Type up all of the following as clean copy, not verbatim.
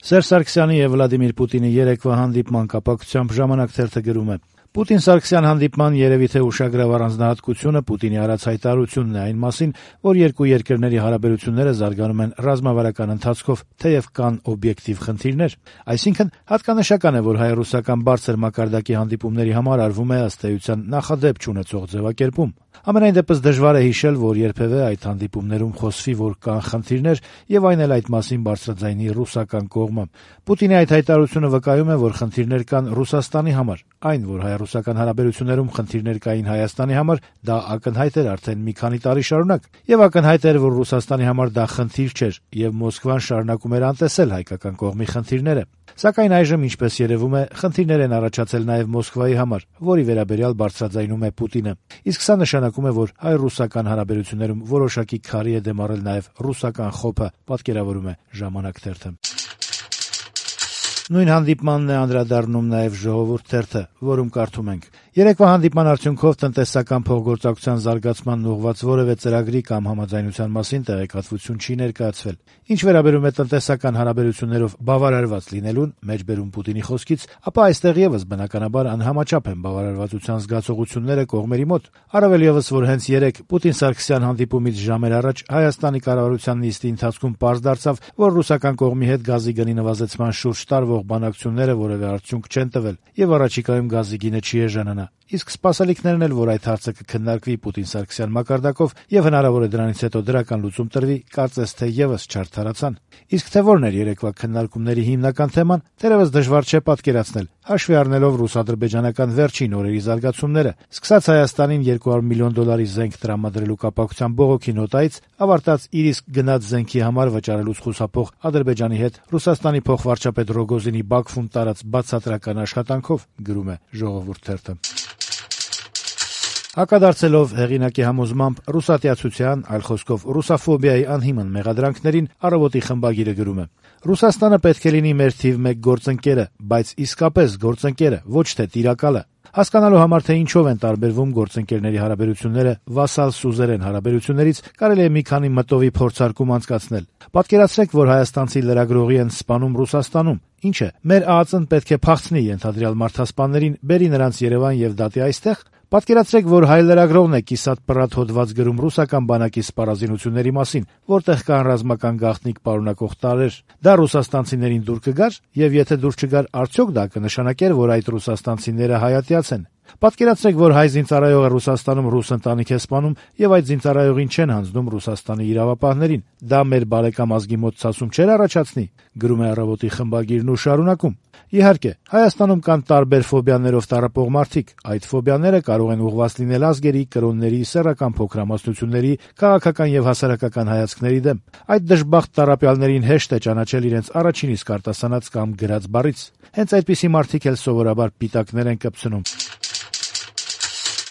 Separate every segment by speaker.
Speaker 1: Սերժ Սարգսյանի եւ Վլադիմիր Պուտինի երեկվա հանդիպման կապակցությամբ «Ժամանակ» թերթը գրում է. Պուտին-Սարգսյան հանդիպման երևի թե ուշագրավ առանձնահատկությունը Պուտինի արած հայտարարությունն է այն մասին, որ երկու երկրների հարաբերությունները զարգանում են ռազմավարական ընթացքով, թեև կան օբյեկտիվ խնդիրներ։ Այսինքն, հատկանշական է, որ հայ-ռուսական բարձր մակարդակի հանդիպումների համար արվում է ըստ էության նախադեպ չունեցող ձևակերպում։ Ամենայն դեպս դժվար է հիշել, որ երբևէ այդ հանդիպումներում խոսվի, որ կան խնդիրներ, եւ այն էլ այդ մասին բարձրաձայնի ռուսական կողմը։ Պուտինի այդ հայտարարությունը վկայում է, որ խնդիրներ կան Ռուսաստանի համար։ Այն, որ հայ-ռուսական հարաբերություններում խնդիրներ կային Հայաստանի համար, դա ակնհայտ էր արդեն մի քանի տարի շարունակ, եւ ակնհայտ էր, որ Ռուսաստանի համար դա խնդիր չէր, եւ Մոսկվան շարունակում էր անտեսել հայկական կողմի խնդիրները։ Սակայն այժմ, ինչպես երևում է, խնդիրներ են առաջացել նաեւ Մոսկվայի համար, որի վերաբերյալ բարձրաձայնում է Պուտինը։ Իսկ սա նշանակում է, որ հայ-ռուսական հարաբերություններում որոշակի քարի է դեմառել նաեւ ռուսական խոփը, պատկերավորում է «Ժամանակ» թերթը։ Նույն հանդիպմանն է անդրադառնում նաեւ «Ժողովուրդ» թերթը, որում կարդում ենք. Երեկվա հանդիպման արդյունքով տնտեսական փոխգործակցության զարգացմանն ուղղված որևէ ծրագրի կամ համաձայնության մասին տեղեկատվություն չի ներկայացվել։ Ինչ վերաբերում է տնտեսական հարաբերություններով բավարարված լինելուն, մեջբերում Պուտինի խոսքից, ապա այստեղ եւս բնականաբար անհամաչափ են բավարարվածության զգացողությունները կողմերի մոտ։ Առավել եւս, որ հենց երեկ Պուտին-Սարգսյան հանդիպումից ժամեր առաջ Հայաստանի կառավարության նիստի ընթացքում պարզ դարձավ, որ ռուսական կողմի հետ գազի գնի նվազեցման շուրջ տարվող բանակցությունները որևէ արդյունք չեն տվել, եւ առաջիկայում գազի գինը չի էժանանա։ Իսկ սպասելիքներն էլ, որ այդ հարցը կքննարկվի Պուտին-Սարգսյան մակարդակով եւ հնարավոր է դրանից հետո դրական լուծում տրվի, կարծես թե եւս չարդարացան։ Իսկ թե որն էր երեկվա քննարկումների հիմնական թեման, թերևս դժվար չէ պատկերացնել, հաշվի առնելով ռուս-ադրբեջանական վերջին օրերի զարգացումները, սկսած Հայաստանին $200 միլիոն զենք տրամադրելու կապակցությամբ բողոքի նոտայից, ավարտած իր իսկ գնած զենքի համար վճարելուց խուսափող Ադրբեջանի հետ Ռուսաստանի փոխվարչապետ Ռոգոզինի Բաքվում տարած բացատրական աշխատանքով, գրում է «Ժողովուրդ» թերթը։ Հակադարձելով հեղինակի համոզմամբ ռուսատյացության, այլ խոսքով ռուսաֆոբիայի անհիմն մեղադրանքներին, «Առավոտ»-ի խմբագիրը գրում է. Ռուսաստանը պետք է լինի մեր թիվ 1 գործընկերը, բայց իսկապես գործընկերը, ոչ թե տիրակալը։ Հասկանալու համար, թե ինչով են տարբերվում գործընկերների հարաբերությունները վասալ սուզերեն հարաբերություններից, կարելի է մի քանի մտովի փորձարկում անցկացնել։ Պատկերացրեք, որ հայաստանցի լրագրողի են սպանում Ռուսաստանում։ Ինչ է, մեր ԱԱԾ-ն պետք է փախցնի ենթադրյալ մարդասպաններին, բերի նրանց Երևան եւ դատի այստեղ։ Պատկերացրեք, որ հայ լրագրողն է կիսատ-պռատ հոդված գրում ռուսական բանակի սպառազինությունների մասին, որտեղ կան ռազմական գաղտնիք պարունակող տարրեր։ Դա ռուսաստանցիներին դուր կգար, եւ եթե դուր չգար, արդյոք դա կնշանակեր, որ այդ ռուսաստանցիները հայատյաց են։ Պատկերացրեք, որ հայ զինծառայողը Ռուսաստանում ռուս ընտանիք է սպանում եւ այդ զինծառայողին չեն հանձնում Ռուսաստանի իրավապահներին։ Դա մեր բարեկամ ազգի մոտ ցասում չէր առաջացնի, գրում է «Առավոտ»-ի խմբագիրն ու շարունակում. Իհարկե, Հայաստանում կան տարբեր ֆոբիաներով տառապող մարդիկ։ Այդ ֆոբիաները կարող են ուղղված լինել ազգերի, կրոնների, սեռական փոքրամասնությունների, քաղաքական եւ հասարակական հայացքների դեմ։ Այդ դժբախտ տառապյալներին հեշտ է ճանաչել իրենց առաջին իսկ արտասանած կամ գրած բառից։ Հենց այդպիսի մարդիկ էլ սովորաբար պիտակներ են կպցնում։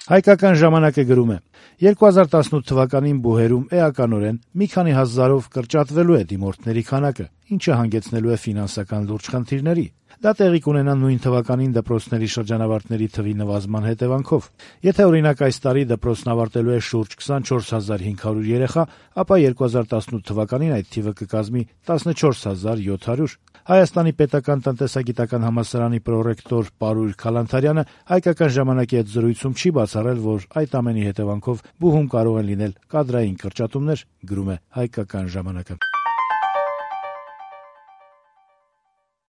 Speaker 1: Հայկական ժամանակը գրում է. 2018 թվականին բուհերում էականորեն մի քանի հազարով կրճատվելու է դիմորդների քանակը, ինչը հանգեցնելու է ֆինանսական լուրջ խնդիրների։ Դա տեղի կունենա նույն թվականին դպրոցների շրջանավարտների թվի նվազման հետևանքով։ Եթե օրինակ այս տարի դպրոցն ավարտելու է շուրջ 24500 երեխա, ապա 2018 թվականին այդ թիվը կկազմի 14700։ Հայաստանի պետական տնտեսագիտական համալսարանի պրոռեկտոր Պարույր Քալանթարյանը Հայկական ժամանակի հետ զրույցում չի բացառել, որ այդ ամենի հետևանքով բուհում կարող են լինել կադրային կրճատումներ, գրում է Հայկական ժամանակը։